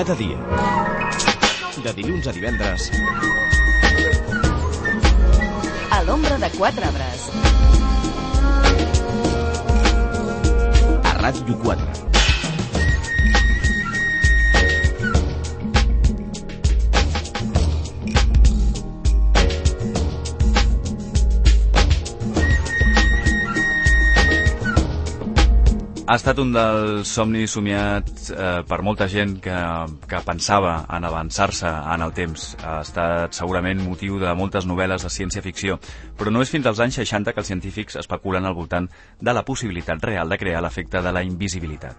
Cada dia, de dilluns a divendres, a l'ombra de 4 arbres. A Ràdio 4. Ha estat un dels somnis somiats per molta gent que pensava en avançar-se en el temps. Ha estat segurament motiu de moltes novel·les de ciència-ficció, però no és fins als anys 60 que els científics especulen al voltant de la possibilitat real de crear l'efecte de la invisibilitat.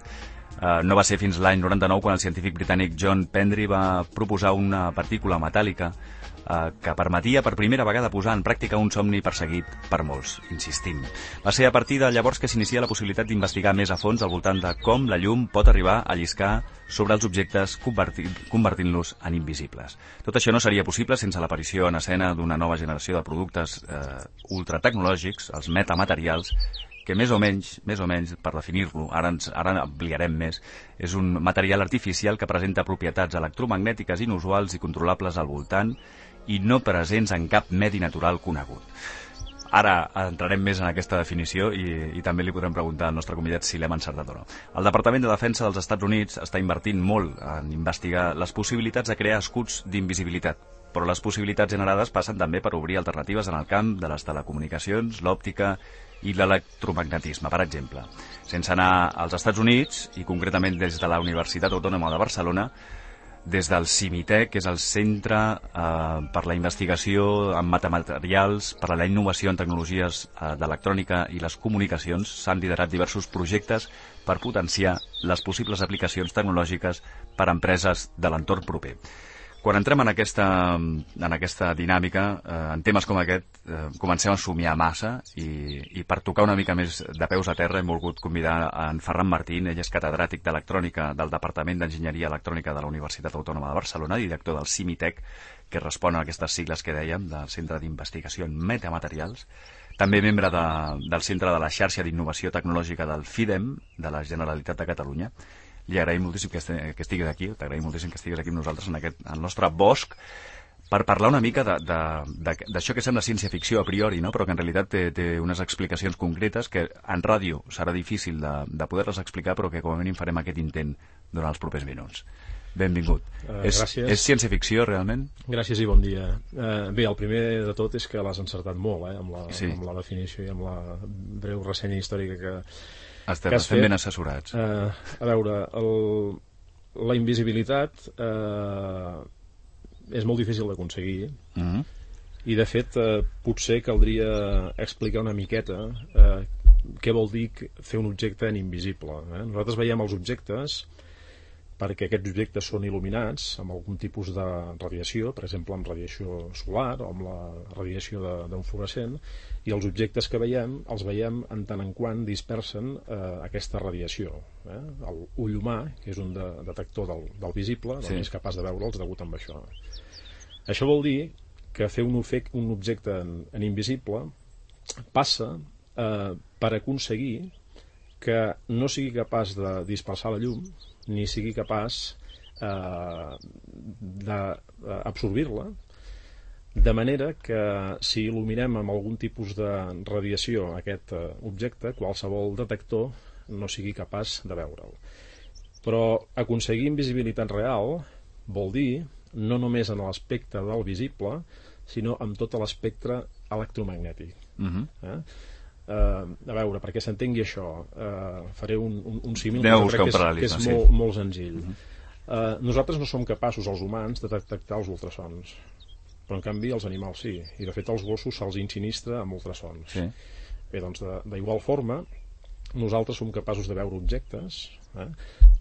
No va ser fins l'any 99 quan el científic britànic John Pendry va proposar una partícula metàl·lica que permetia per primera vegada posar en pràctica un somni perseguit per molts, insistim. Va ser a partir de llavors que s'inicia la possibilitat d'investigar més a fons al voltant de com la llum pot arribar a lliscar sobre els objectes convertint-los en invisibles. Tot això no seria possible sense l'aparició en escena d'una nova generació de productes ultratecnològics, els metamaterials, que més o menys, per definir-lo, ara ampliarem més, és un material artificial que presenta propietats electromagnètiques inusuals i controlables al voltant i no presents en cap medi natural conegut. Ara entrarem més en aquesta definició i també li podrem preguntar al nostre convidat si l'hem encertat o no. El Departament de Defensa dels Estats Units està invertint molt en investigar les possibilitats de crear escuts d'invisibilitat, però les possibilitats generades passen també per obrir alternatives en el camp de les telecomunicacions, l'òptica i l'electromagnetisme, per exemple. Sense anar als Estats Units, i concretament des de la Universitat Autònoma de Barcelona, des del CIMITEC, que és el Centre per la Investigació en Metamaterials, per a la Innovació en Tecnologies d'Electrònica i les Comunicacions, s'han liderat diversos projectes per potenciar les possibles aplicacions tecnològiques per a empreses de l'entorn proper. Quan entrem en aquesta dinàmica, en temes com aquest, comencem a somiar massa i per tocar una mica més de peus a terra hem volgut convidar en Ferran Martín. Ell és catedràtic d'Electrònica del Departament d'Enginyeria Electrònica de la Universitat Autònoma de Barcelona, director del CIMITEC, que respon a aquestes sigles que dèiem, del Centre d'Investigació en Metamaterials, també membre del Centre de la Xarxa d'Innovació Tecnològica del FIDEM, de la Generalitat de Catalunya. Li agraïm moltíssim que estiguis aquí, t'agraïm moltíssim que estiguis aquí amb nosaltres en el nostre bosc per parlar una mica d'això que sembla ciència-ficció a priori, no? Però que en realitat té unes explicacions concretes que en ràdio serà difícil de poder-les explicar, però que com a mínim farem aquest intent durant els propers minuts. Benvingut. Gràcies. És ciència-ficció, realment? Gràcies i bon dia. Bé, el primer de tot és que l'has encertat molt, amb la definició i amb la breu ressenya històrica que estem ben assessorats. A veure, la invisibilitat és molt difícil d'aconseguir i de fet potser caldria explicar una miqueta què vol dir fer un objecte en invisible. Nosaltres veiem els objectes perquè aquests objectes són il·luminats amb algun tipus de radiació, per exemple amb radiació solar o amb la radiació d'un fluorescent, i els objectes que veiem els veiem en tant en quant dispersen aquesta radiació. L'ull humà, que és un detector del visible, doncs és capaç de veure'ls degut amb això. Això vol dir que fer un objecte en invisible passa per aconseguir que no sigui capaç de dispersar la llum ni sigui capaç d'absorbir-la, de manera que si il·luminem amb algun tipus de radiació aquest objecte, qualsevol detector no sigui capaç de veure'l. Però aconseguir invisibilitat real vol dir no només en l'aspecte del visible, sinó en tot l'espectre electromagnètic. A veure, perquè s'entengui això, faré un símil que és molt senzill. Nosaltres no som capaços, els humans, de detectar els ultrasons, però en canvi els animals sí, i de fet als gossos se'ls insinistra amb ultrasons. Bé, doncs d'igual forma nosaltres som capaços de veure objectes,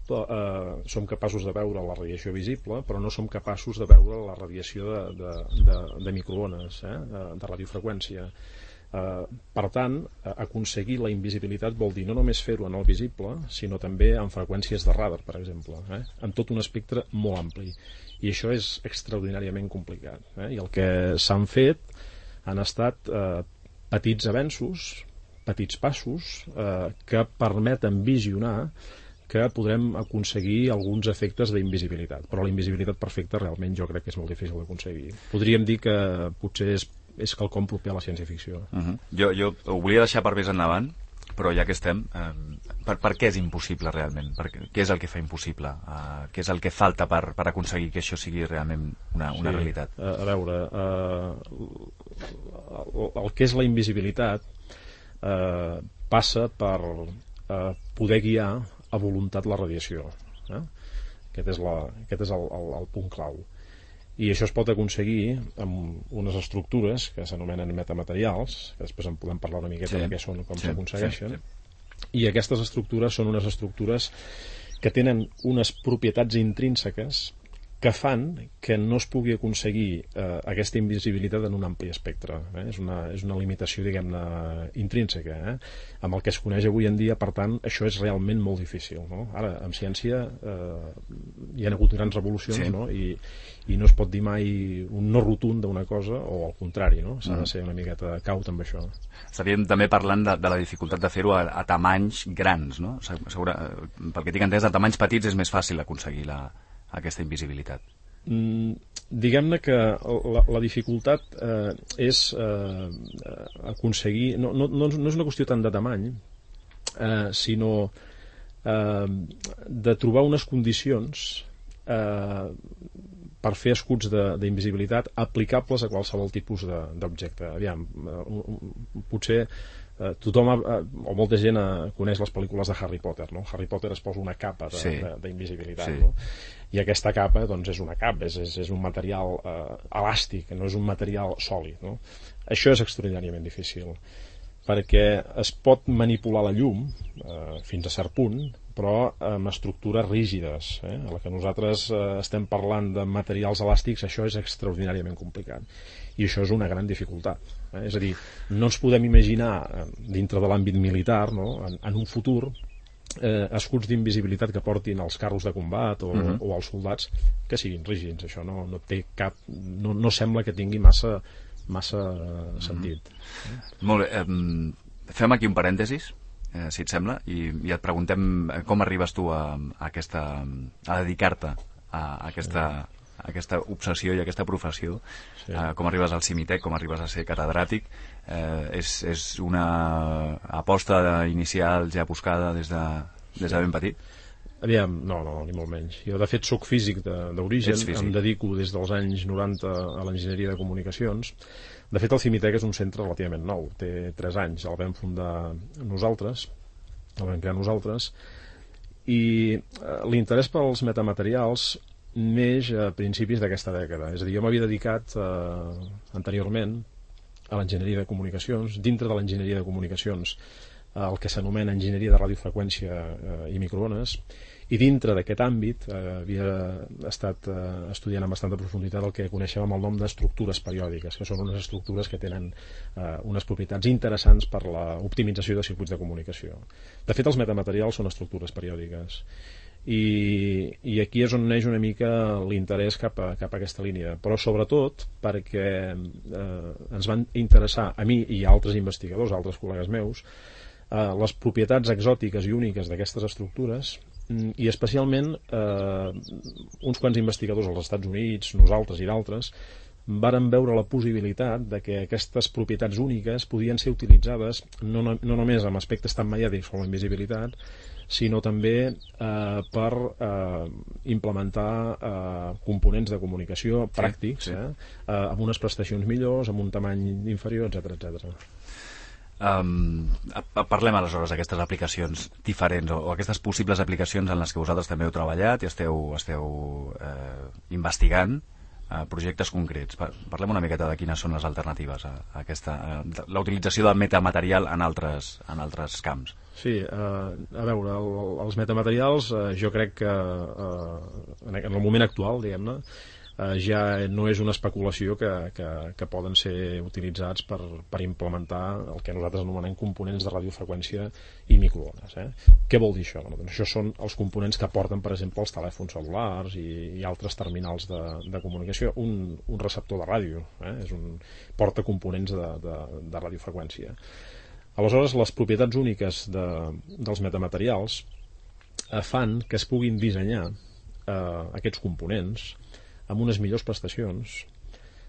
som capaços de veure la radiació visible, però no som capaços de veure la radiació de microones, de radiofreqüència. Per tant, aconseguir la invisibilitat vol dir no només fer-ho en el visible, sinó també en freqüències de radar, per exemple, en tot un espectre molt ampli. I això és extraordinàriament complicat. I el que s'han fet han estat petits avenços, petits passos, que permeten visionar que podrem aconseguir alguns efectes d'invisibilitat, però la invisibilitat perfecta realment jo crec que és molt difícil d'aconseguir. Podríem dir que potser és quelcom proper a la ciència-ficció. Jo ho volia deixar per més endavant, però ja que estem, per què és impossible realment? Què és el que fa impossible? Què és el que falta per aconseguir que això sigui realment una realitat? A veure, el que és la invisibilitat passa per poder guiar a voluntat la radiació. Aquest és el punt clau. I això es pot aconseguir amb unes estructures que s'anomenen metamaterials, que després en podem parlar una miqueta de què són, com s'aconsegueixen. I aquestes estructures són unes estructures que tenen unes propietats intrínseques que fan que no es pugui aconseguir aquesta invisibilitat en un ampli espectre. És una limitació, diguem-ne, intrínseca. Amb el que es coneix avui en dia, per tant, això és realment molt difícil. No? Ara, en ciència hi ha hagut grans revolucions, no? I no es pot dir mai un no rotund d'una cosa, o al contrari, no? S'ha de ser una miqueta caut amb això. Estaríem també parlant de la dificultat de fer-ho a tamanys grans, no? Pel que tinc entès, a tamanys petits és més fàcil aconseguir aquesta invisibilitat. Diguem-ne que la dificultat és aconseguir... No és una qüestió tant de tamany, sinó de trobar unes condicions per fer escuts d'invisibilitat aplicables a qualsevol tipus d'objecte. Aviam, potser tothom o molta gent coneix les pel·lícules de Harry Potter, no? Harry Potter es posa una capa d'invisibilitat, no? I aquesta capa doncs és una capa, és un material elàstic, no és un material sòlid, no? Això és extraordinàriament difícil perquè es pot manipular la llum fins a cert punt, però amb estructures rígides. A la que nosaltres estem parlant de materials elàstics, això és extraordinàriament complicat. I això és una gran dificultat. És a dir, no ens podem imaginar, dintre de l'àmbit militar, no? En un futur, escuts d'invisibilitat que portin els carros de combat o els soldats que siguin rígids. Això no té cap... No sembla que tingui massa sentit. Molt bé. Fem aquí un parèntesis, si et sembla, i et preguntem com arribes tu a dedicar-te a aquesta obsessió i aquesta professió. Com arribes al Cimitec, com arribes a ser catedràtic. És una aposta inicial ja buscada des de ben petit? Aviam, no, ni molt menys. Jo, de fet, soc físic d'origen, em dedico des dels anys 90 a l'enginyeria de comunicacions. De fet, el Cimitec és un centre relativament nou, té 3 anys, el vam fundar nosaltres, el vam crear nosaltres, i l'interès pels metamaterials neix a principis d'aquesta dècada. És a dir, jo m'havia dedicat anteriorment a l'enginyeria de comunicacions, dintre de l'enginyeria de comunicacions, el que s'anomena enginyeria de radiofreqüència i microones, i dintre d'aquest àmbit havia estat estudiant amb bastanta profunditat el que coneixem amb el nom d'estructures periòdiques, que són unes estructures que tenen unes propietats interessants per l'optimització de circuits de comunicació. De fet, els metamaterials són estructures periòdiques. I aquí és on neix una mica l'interès cap a aquesta línia, però sobretot perquè ens van interessar a mi i a altres investigadors, a altres col·legues meus, les propietats exòtiques i úniques d'aquestes estructures, i especialment uns quants investigadors als Estats Units, nosaltres i d'altres, varen veure la possibilitat de que aquestes propietats úniques podien ser utilitzades no només amb aspectes tan mediàtics com la invisibilitat, sinó també per implementar components de comunicació pràctics, amb unes prestacions millors, amb un tamany inferior, etc. Parlem aleshores d'aquestes aplicacions diferents o aquestes possibles aplicacions en les que vosaltres també heu treballat i esteu investigant projectes concrets. Parlem una miqueta de quines són les alternatives a la utilització del metamaterial en altres camps. Sí, a veure, els metamaterials jo crec que en el moment actual, diguem-ne, ja no és una especulació que poden ser utilitzats per implementar el que nosaltres anomenem components de radiofreqüència i microones. Què vol dir això? Doncs això són els components que porten, per exemple, els telèfons cel·lulars i altres terminals de comunicació. Un receptor de ràdio porta components de radiofreqüència. Aleshores, les propietats úniques dels metamaterials fan que es puguin dissenyar aquests components amb unes millors prestacions,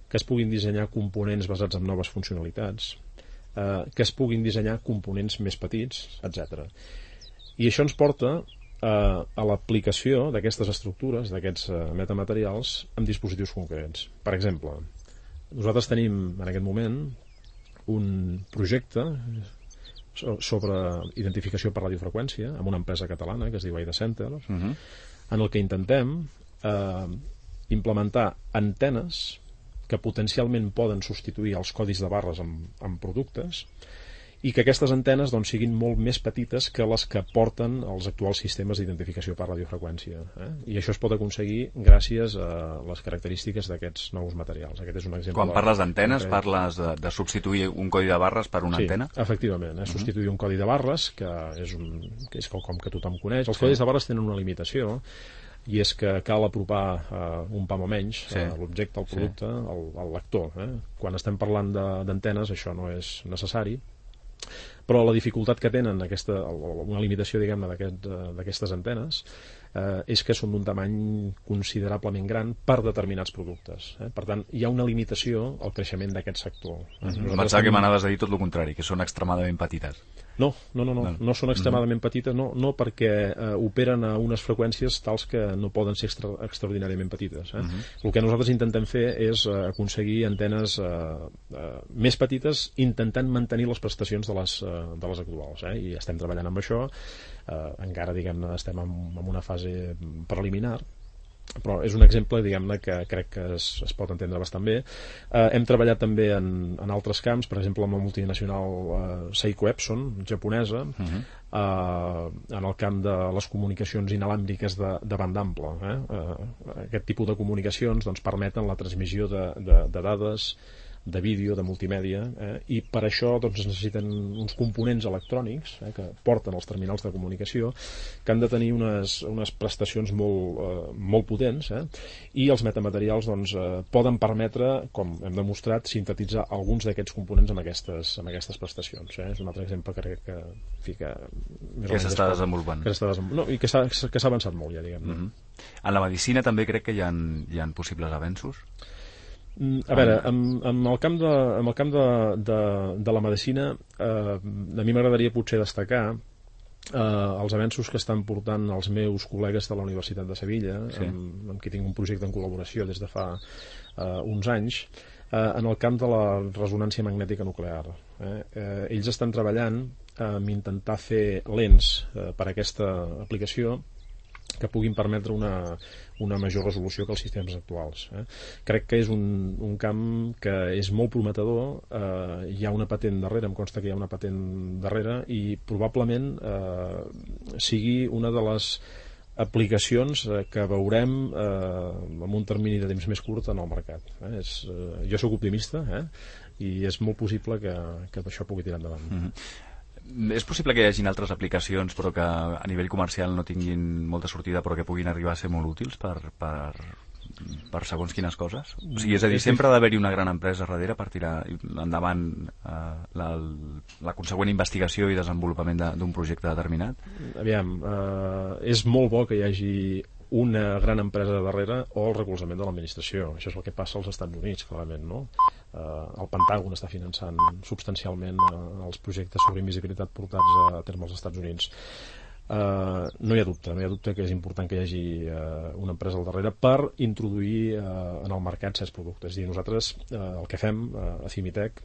que es puguin dissenyar components basats en noves funcionalitats, que es puguin dissenyar components més petits, etc. I això ens porta a l'aplicació d'aquestes estructures, d'aquests metamaterials, en dispositius concrets. Per exemple, nosaltres tenim en aquest moment un projecte sobre identificació per radiofreqüència amb una empresa catalana que es diu Aida Center, en el que intentem implementar antenes que potencialment poden substituir els codis de barres en productes i que aquestes antenes doncs, siguin molt més petites que les que porten els actuals sistemes d'identificació per radiofreqüència. I això es pot aconseguir gràcies a les característiques d'aquests nous materials. Aquest és un exemple. Quan parles d'antenes, parles de substituir un codi de barres per una antena? Sí, efectivament. Substituir un codi de barres, que és quelcom que tothom coneix. Els codis de barres tenen una limitació, i és que cal apropar un pam o menys l'objecte, el producte, al lector. Quan estem parlant d'antenes això no és necessari, però la dificultat que tenen, una limitació diguem-ne d'aquestes antenes, és que són d'un tamany considerablement gran per determinats productes. Per tant, hi ha una limitació al creixement d'aquest sector. Pensava que m'anaves a dir tot el contrari, que són extremadament petites. No són extremadament petites, no perquè operen a unes freqüències tals que no poden ser extraordinàriament petites. El que nosaltres intentem fer és aconseguir antenes més petites, intentant mantenir les prestacions de les actuals, i estem treballant amb això. Encara diguem-ne estem en una fase preliminar, però és un exemple diguem-ne que crec que es pot entendre bastant bé. Hem treballat també en altres camps, per exemple amb la multinacional Seiko Epson japonesa, en el camp de les comunicacions inalàmbriques de banda ampla. Aquest tipus de comunicacions doncs, permeten la transmissió de dades, de vídeo, de multimèdia, i per això doncs, es necessiten uns components electrònics que porten els terminals de comunicació, que han de tenir unes prestacions molt potents, i els metamaterials doncs, poden permetre, com hem demostrat, sintetitzar alguns d'aquests components amb aquestes prestacions. És un altre exemple que crec que s'està desenvolupant. I que s'ha avançat molt ja, diguem. En la medicina també crec que hi ha possibles avenços? A veure, en el camp de la medicina, a mi m'agradaria potser destacar els avenços que estan portant els meus col·legues de la Universitat de Sevilla, amb qui tinc un projecte en col·laboració des de fa uns anys, en el camp de la resonància magnètica nuclear. Ells estan treballant en intentar fer lents per a aquesta aplicació que puguin permetre una major resolució que els sistemes actuals. Crec que és un camp que és molt prometedor, hi ha una patent darrere, em consta que hi ha una patent darrere, i probablement sigui una de les aplicacions que veurem en un termini de temps més curt en el mercat. Jo sóc optimista, i és molt possible que això pugui tirar endavant. És possible que hi hagin altres aplicacions però que a nivell comercial no tinguin molta sortida però que puguin arribar a ser molt útils per segons quines coses? O sigui, és a dir, sempre ha d'haver-hi una gran empresa darrere per tirar endavant la consegüent investigació i desenvolupament d'un projecte determinat? Aviam, és molt bo que hi hagi una gran empresa darrere o el recolzament de l'administració. Això és el que passa als Estats Units, clarament, no? El Pentàgon està finançant substancialment els projectes sobre invisibilitat portats a terme als Estats Units. No hi ha dubte que és important que hi hagi una empresa al darrere per introduir en el mercat certs productes. I nosaltres el que fem a Cimitec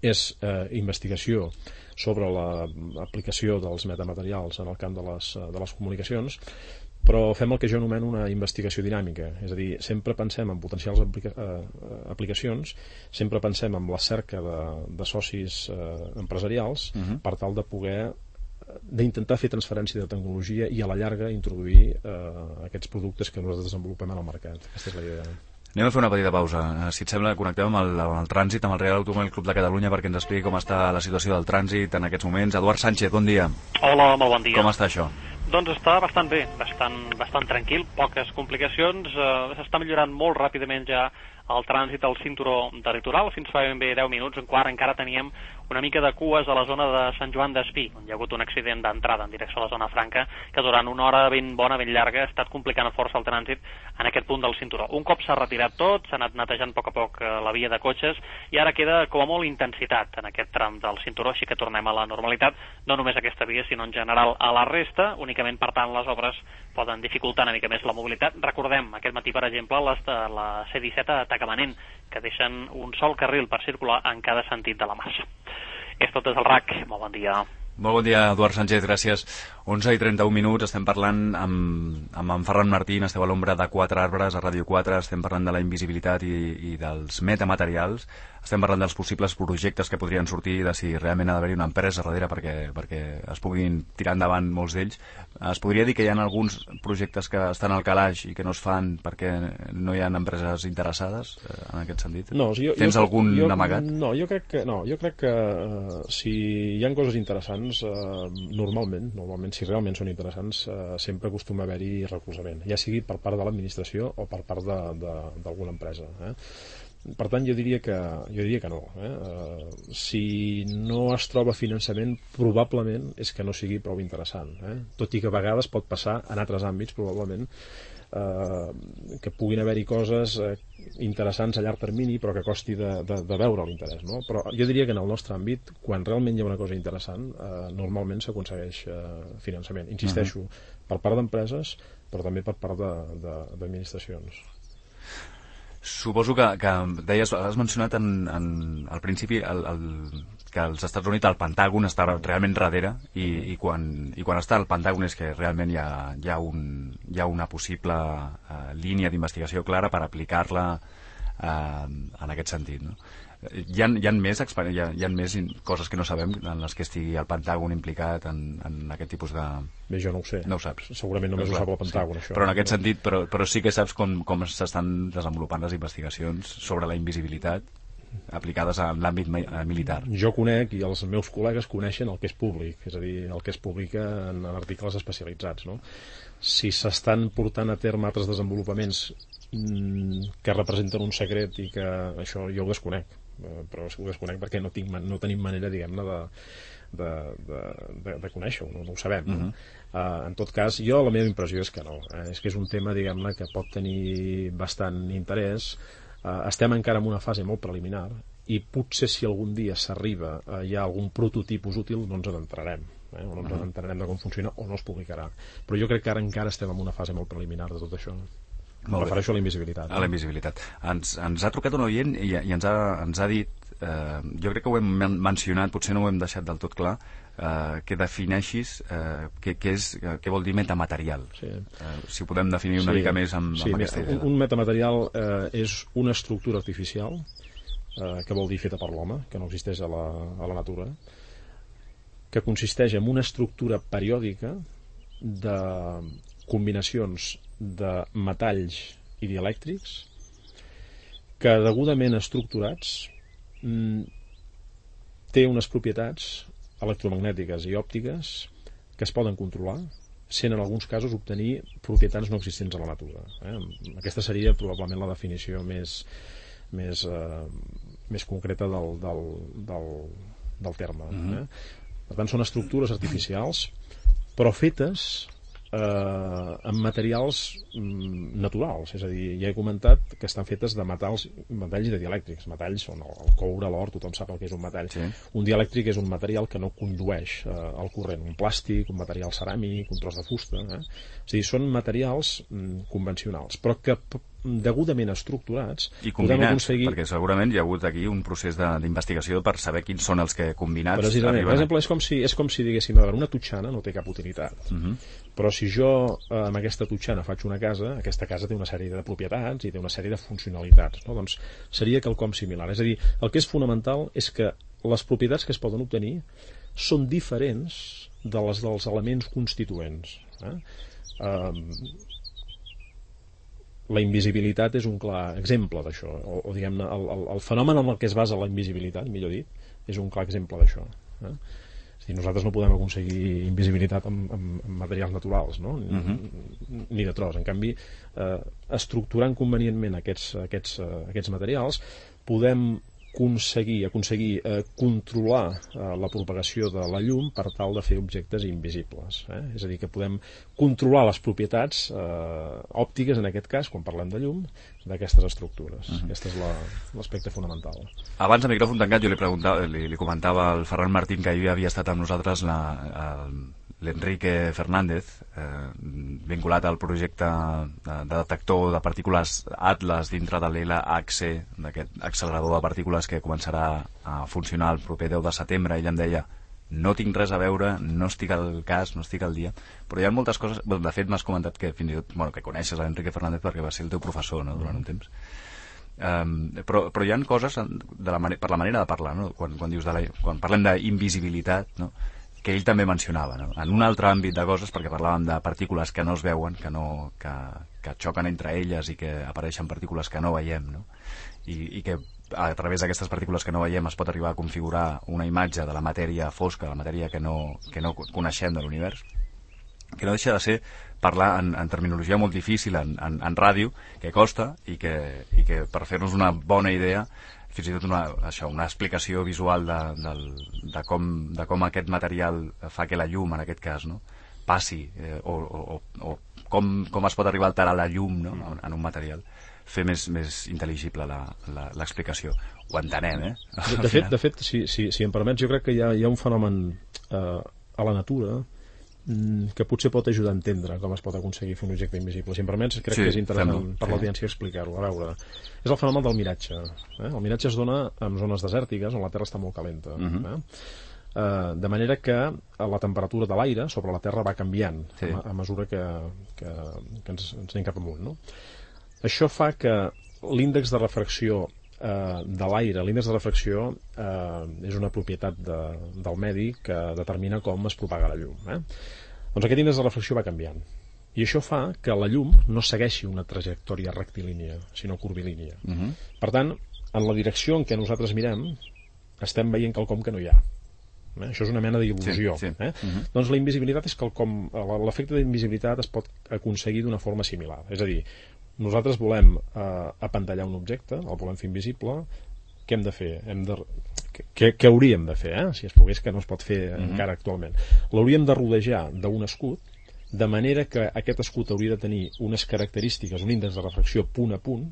és investigació sobre l'aplicació dels metamaterials en el camp de les comunicacions, però fem el que jo anomeno una investigació dinàmica, és a dir, sempre pensem en potencials aplicacions, sempre pensem en la cerca de socis empresarials per tal de poder d'intentar fer transferència de tecnologia i a la llarga introduir aquests productes que nosaltres desenvolupem en el mercat. Aquesta és la idea. Anem a fer una petita pausa. Si et sembla, connectem amb el trànsit, amb el Real Automòbil Club de Catalunya perquè ens expliqui com està la situació del trànsit en aquests moments. Eduard Sánchez, bon dia. Hola, molt bon dia. Com està això? Doncs està bastant bé, bastant tranquil, poques complicacions, s'està millorant molt ràpidament ja el trànsit al cinturó de litoral. Fins fa ben bé 10 minuts, encara teníem una mica de cues a la zona de Sant Joan d'Espí, on hi ha hagut un accident d'entrada en direcció a la zona franca, que durant una hora ben bona, ben llarga, ha estat complicant força el trànsit en aquest punt del cinturó. Un cop s'ha retirat tot, s'ha anat netejant a poc la via de cotxes, i ara queda com a molt intensitat en aquest tram del cinturó, així que tornem a la normalitat, no només aquesta via, sinó en general a la resta. Únicament, per tant, les obres poden dificultar una mica més la mobilitat. Recordem, aquest matí, per exemple, les de la C-17 a Tagamanent, que deixen un sol carril per circular en cada sentit de la massa. És tot des del RAC. Molt bon dia. Molt bon dia, Eduard Sánchez, gràcies. 11:31, estem parlant amb en Ferran Martín, esteu a l'ombra de 4 arbres a Ràdio 4, estem parlant de la invisibilitat i dels metamaterials, estem parlant dels possibles projectes que podrien sortir, de si realment ha d'haver-hi una empresa darrere perquè es puguin tirar endavant molts d'ells. Es podria dir que hi ha alguns projectes que estan al calaix i que no es fan perquè no hi ha empreses interessades, en aquest sentit? No, tens algun amagat? No, jo crec que si hi ha coses interessants, normalment, si realment són interessants, sempre acostuma a haver-hi recolzament, ja sigui per part de l'administració o per part d'alguna empresa. Per tant, jo diria que no. Si no es troba finançament, probablement és que no sigui prou interessant. Tot i que a vegades pot passar en altres àmbits, probablement, que puguin haver-hi coses interessants a llarg termini, però que costi de veure l'interès, no? Però jo diria que en el nostre àmbit, quan realment hi ha una cosa interessant, normalment s'aconsegueix finançament. Insisteixo, per part d'empreses, però també per part d'administracions. Suposo que deies, has mencionat al principi que als Estats Units el Pentàgon està realment darrere i quan està al Pentàgon és que realment hi ha una possible línia d'investigació clara per aplicar-la en aquest sentit, no? Hi ha més coses que no sabem en les que estigui el Pentàgon implicat en aquest tipus de... Bé, jo no ho sé. No ho saps. Segurament només ho sap el Pentàgon, sí. Això. Però en aquest sentit, però sí que saps com s'estan desenvolupant les investigacions sobre la invisibilitat aplicades en l'àmbit militar. Jo conec, i els meus col·legues coneixen el que és públic, és a dir, el que es publica en articles especialitzats, no? Si s'estan portant a terme altres desenvolupaments que representen un secret i que això jo ho desconec, però ho desconec perquè no tenim manera, diguem-ne, de conèixer-ho, no ho sabem. En tot cas, la meva impressió és que no, és que és un tema, diguem-ne, que pot tenir bastant interès. Estem encara en una fase molt preliminar i potser si algun dia s'arriba hi ha algun prototipus útil no ens n'entrarem, o no ens n'entrarem de com funciona o no es publicarà, però jo crec que ara encara estem en una fase molt preliminar de tot això. Em refereixo a la invisibilitat. A la invisibilitat. Ens ha trucat un oient i ens ha dit, jo crec que ho hem mencionat, potser no ho hem deixat del tot clar, que defineixis què vol dir metamaterial. Sí. Si ho podem definir una mica més amb aquesta idea. Un metamaterial és una estructura artificial, que vol dir feta per l'home, que no existeix a la natura, que consisteix en una estructura periòdica de combinacions de metalls i dielèctrics que, degudament estructurats, té unes propietats electromagnètiques i òptiques que es poden controlar, sent en alguns casos obtenir propietats no existents a la natura. Aquesta seria probablement la definició més concreta del terme. Per tant, són estructures artificials, però fetes amb materials naturals, és a dir, ja he comentat que estan fetes de metalls i de dielèctrics. Metalls són el coure, l'or, tothom sap el que és un metall. Sí. Un dielèctric és un material que no condueix el corrent, un plàstic, un material ceràmic, un tros de fusta, És a dir, són materials convencionals, però que degudament estructurats i combinats, perquè segurament hi ha hagut aquí un procés d'investigació per saber quins són els que combinats precisament. Per exemple, és com si diguéssim, una totxana no té cap utilitat, però si jo amb aquesta totxana faig una casa, aquesta casa té una sèrie de propietats i té una sèrie de funcionalitats, no? Doncs seria quelcom similar. És a dir, el que és fonamental és que les propietats que es poden obtenir són diferents de les dels elements constituents. La invisibilitat és un clar exemple d'això, o diguem-ne, el fenomen en el que es basa la invisibilitat, millor dit, és un clar exemple d'això. És a dir, nosaltres no podem aconseguir invisibilitat amb materials naturals, no? Ni de tros. En canvi, estructurant convenientment aquests materials, podem aconseguir controlar la propagació de la llum per tal de fer objectes invisibles. És a dir, que podem controlar les propietats òptiques, en aquest cas, quan parlem de llum, d'aquestes estructures. Aquest és l'aspecte fonamental. Abans, a micròfon tancat, jo li comentava al Ferran Martín que ahir havia estat amb nosaltres l'Enrique Fernández, vinculat al projecte de detector de partícules Atlas dintre de l'LHC, d'aquest accelerador de partícules que començarà a funcionar el proper 10 de setembre. Ell em deia, no tinc res a veure, no estic al cas, no estic al dia, però hi ha moltes coses. De fet, m'has comentat que fins i tot, que coneixes l'Enrique Fernández perquè va ser el teu professor, no?, durant un temps. Però hi ha coses per la manera de parlar, no? Quan parlem d'invisibilitat, no?, que ell també mencionava, no?, en un altre àmbit de coses, perquè parlàvem de partícules que no es veuen, que xoquen entre elles i que apareixen partícules que no veiem, no?, i que a través d'aquestes partícules que no veiem es pot arribar a configurar una imatge de la matèria fosca, de la matèria que no coneixem de l'univers, que no deixa de ser parlar en terminologia molt difícil en ràdio, que costa, i que per fer-nos una bona idea, fins i tot una explicació visual de com aquest material fa que la llum, en aquest cas, no?, passi, o com es pot arribar a alterar la llum, no?, en un material, fer més intel·ligible l'explicació. Ho entenem, De fet, si em permets, jo crec que hi ha un fenomen a la natura que potser pot ajudar a entendre com es pot aconseguir fer un objecte invisible. Si em permets, crec que és interessant per l'audiència explicar-ho. A veure, és el fenomen del miratge. El miratge es dona en zones desèrtiques on la Terra està molt calenta. De manera que la temperatura de l'aire sobre la Terra va canviant a mesura que ens anem cap amunt, no? Això fa que l'índex de refracció de l'aire, l'índex de refracció és una propietat del medi que determina com es propaga la llum. Doncs aquest índex de refracció va canviant, i això fa que la llum no segueixi una trajectòria rectilínia, sinó curvilínia. Per tant, en la direcció en què nosaltres mirem estem veient quelcom que no hi ha. Això és una mena d'il·lusió. Doncs la invisibilitat és quelcom, l'efecte d'invisibilitat es pot aconseguir d'una forma similar. És a dir, nosaltres volem apantallar un objecte, el volem fer invisible. Què hem de fer? Què hauríem de fer, si es pogués, que no es pot fer encara actualment? L'hauríem de rodejar d'un escut, de manera que aquest escut hauria de tenir unes característiques, un índex de refracció punt a punt,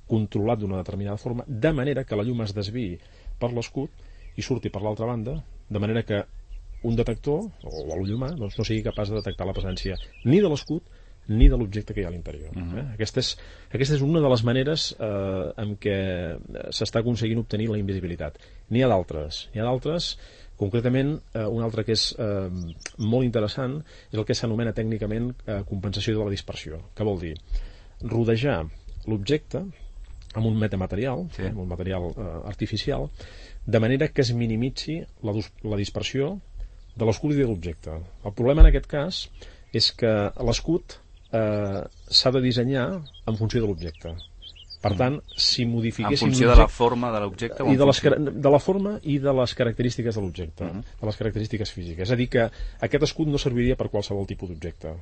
controlat d'una determinada forma, de manera que la llum es desviï per l'escut i surti per l'altra banda, de manera que un detector, o l'ull humà, doncs no sigui capaç de detectar la presència ni de l'escut ni de l'objecte que hi ha a l'interior. Aquesta és una de les maneres en què s'està aconseguint obtenir la invisibilitat. N'hi ha d'altres, concretament un altre que és molt interessant és el que s'anomena tècnicament compensació de la dispersió. Què vol dir? Rodejar l'objecte amb un metamaterial, amb un material artificial, de manera que es minimitzi la dispersió de l'escut i de l'objecte. El problema en aquest cas és que l'escut s'ha de dissenyar en funció de l'objecte. Per tant, si modifiquéssim en funció de la forma de l'objecte de la forma i de les característiques de l'objecte, de les característiques físiques. És a dir, que aquest escut no serviria per qualsevol tipus d'objecte.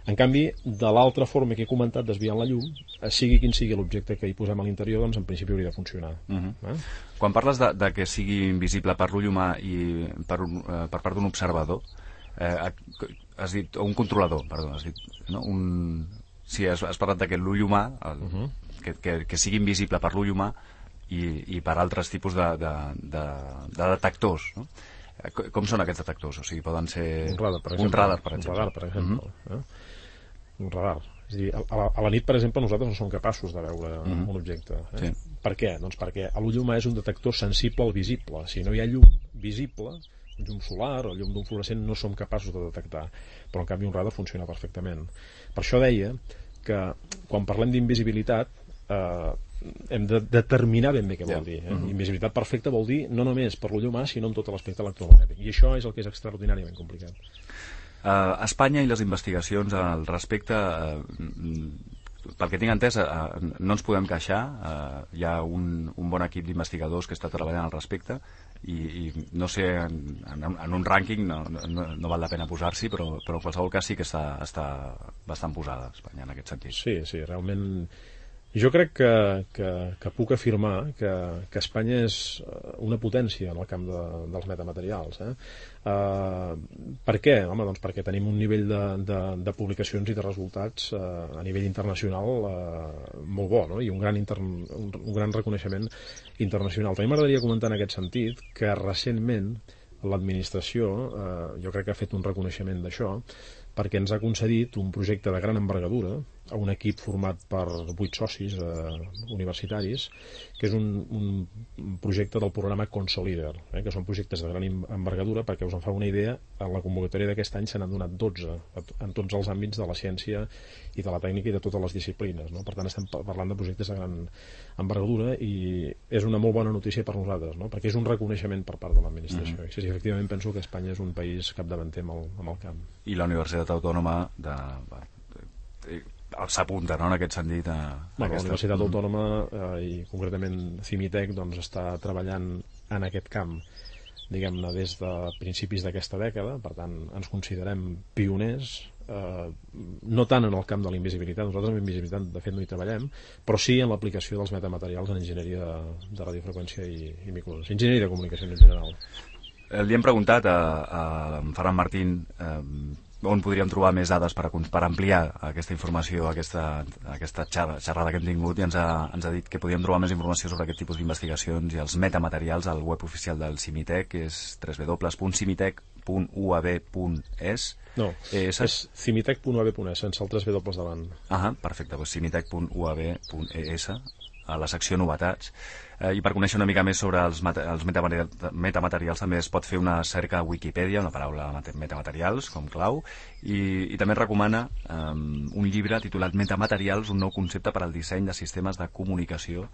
En canvi, de l'altra forma que he comentat, desviant la llum, sigui quin sigui l'objecte que hi posem a l'interior, doncs en principi hauria de funcionar. Quan parles de que sigui invisible per l'ull humà i per part d'un observador, has dit, o un controlador, perdó, has dit, no? Sí, has parlat de que l'ull humà, que sigui invisible per l'ull humà i per altres tipus de detectors, no? Com són aquests detectors? O sigui, poden ser... Un radar, per exemple. Un radar. És a dir, a la nit, per exemple, nosaltres no som capaços de veure un objecte. Per què? Doncs perquè l'ull humà és un detector sensible al visible. Si no hi ha llum visible, llum solar o llum d'un fluorescent, no som capaços de detectar, però en canvi un radar funciona perfectament. Per això deia que quan parlem d'invisibilitat hem de determinar ben bé què vol dir. Invisibilitat perfecta vol dir no només per l'ull humà, sinó en tot l'aspecte electromagnètic, i això és el que és extraordinàriament complicat. Espanya i les investigacions al respecte, pel que tinc entès, no ens podem queixar. Hi ha un bon equip d'investigadors que està treballant al respecte i no sé, en un rànquing no val la pena posar-s'hi, però en qualsevol cas sí que està bastant posada Espanya en aquest sentit. Sí, realment Jo crec que puc afirmar que Espanya és una potència en el camp dels metamaterials. Per què? Home, doncs perquè tenim un nivell de publicacions i de resultats a nivell internacional molt bo, no? I un gran reconeixement internacional. També m'agradaria comentar en aquest sentit que recentment l'administració jo crec que ha fet un reconeixement d'això, perquè ens ha concedit un projecte de gran envergadura a un equip format per 8 socis universitaris, que és un projecte del programa Consolider, que són projectes de gran envergadura. Perquè us en fa una idea, en la convocatòria d'aquest any se n'han donat 12 en tots els àmbits de la ciència i de la tècnica i de totes les disciplines, no? Per tant, estem parlant de projectes de gran envergadura i és una molt bona notícia per nosaltres, no? Perquè és un reconeixement per part de l'administració. I sí, efectivament penso que Espanya és un país capdavanter amb el camp. I la Universitat Autònoma s'apunta, no?, en aquest sentit. La Universitat Autònoma i concretament CIMITEC doncs, està treballant en aquest camp, diguem-ne, des de principis d'aquesta dècada. Per tant, ens considerem pioners, no tant en el camp de la invisibilitat. Nosaltres amb invisibilitat de fet no hi treballem, però sí en l'aplicació dels metamaterials en enginyeria de radiofreqüència i microondes, enginyeria de comunicació en general. Li hem preguntat a Ferran Martín on podríem trobar més dades per ampliar aquesta informació, aquesta xerrada que hem tingut, i ens ha dit que podíem trobar més informació sobre aquest tipus d'investigacions i els metamaterials al web oficial del CIMITEC, que és www.cimitec.uab.es. No, és cimitec.uab.es, sense el 3 W davant. Perfecte, doncs cimitec.uab.es, a la secció novetats. I per conèixer una mica més sobre els metamaterials també es pot fer una cerca a Wikipedia, una paraula metamaterials com clau, i també recomana un llibre titulat Metamaterials, un nou concepte per al disseny de sistemes de comunicació.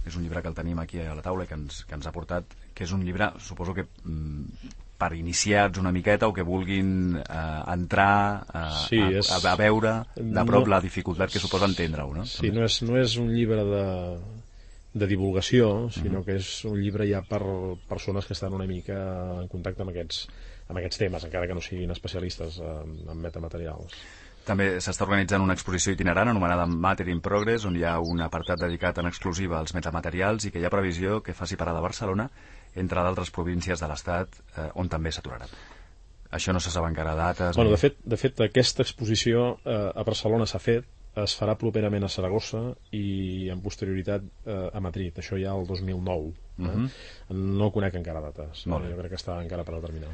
És un llibre que el tenim aquí a la taula i que ens ha portat, que és un llibre, suposo que per iniciats una miqueta o que vulguin entrar a veure de prop la dificultat que suposa entendre-ho, no? Sí, no és un llibre de divulgació, sinó que és un llibre ja per persones que estan una mica en contacte amb aquests temes, encara que no siguin especialistes en metamaterials. També s'està organitzant una exposició itinerant anomenada Matter in Progress, on hi ha un apartat dedicat en exclusiva als metamaterials i que hi ha previsió que faci parada a Barcelona, entre d'altres províncies de l'Estat on també s'aturarà. Això no se sap encara dates. Bueno, de fet, aquesta exposició a Barcelona s'ha fet, es farà properament a Saragossa i en posterioritat a Madrid, això ja el 2009. No conec encara dates, jo crec que està encara per determinar.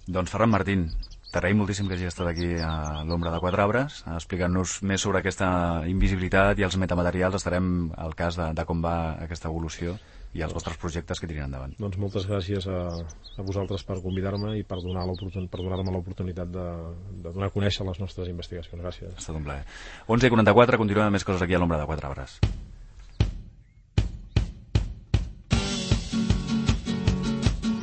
Doncs Ferran Martín, t'agraïm moltíssim que hagi estat aquí a l'Ombra de 4 Arbres explicant-nos més sobre aquesta invisibilitat i els metamaterials. Estarem al cas de com va aquesta evolució i els vostres projectes que tirin endavant. Doncs moltes gràcies a vosaltres per convidar-me i per donar-me l'oportunitat de donar a conèixer les nostres investigacions. Gràcies. Ha estat un plaer. 11:44, continuem amb més coses aquí a l'Ombra de 4 Arbres.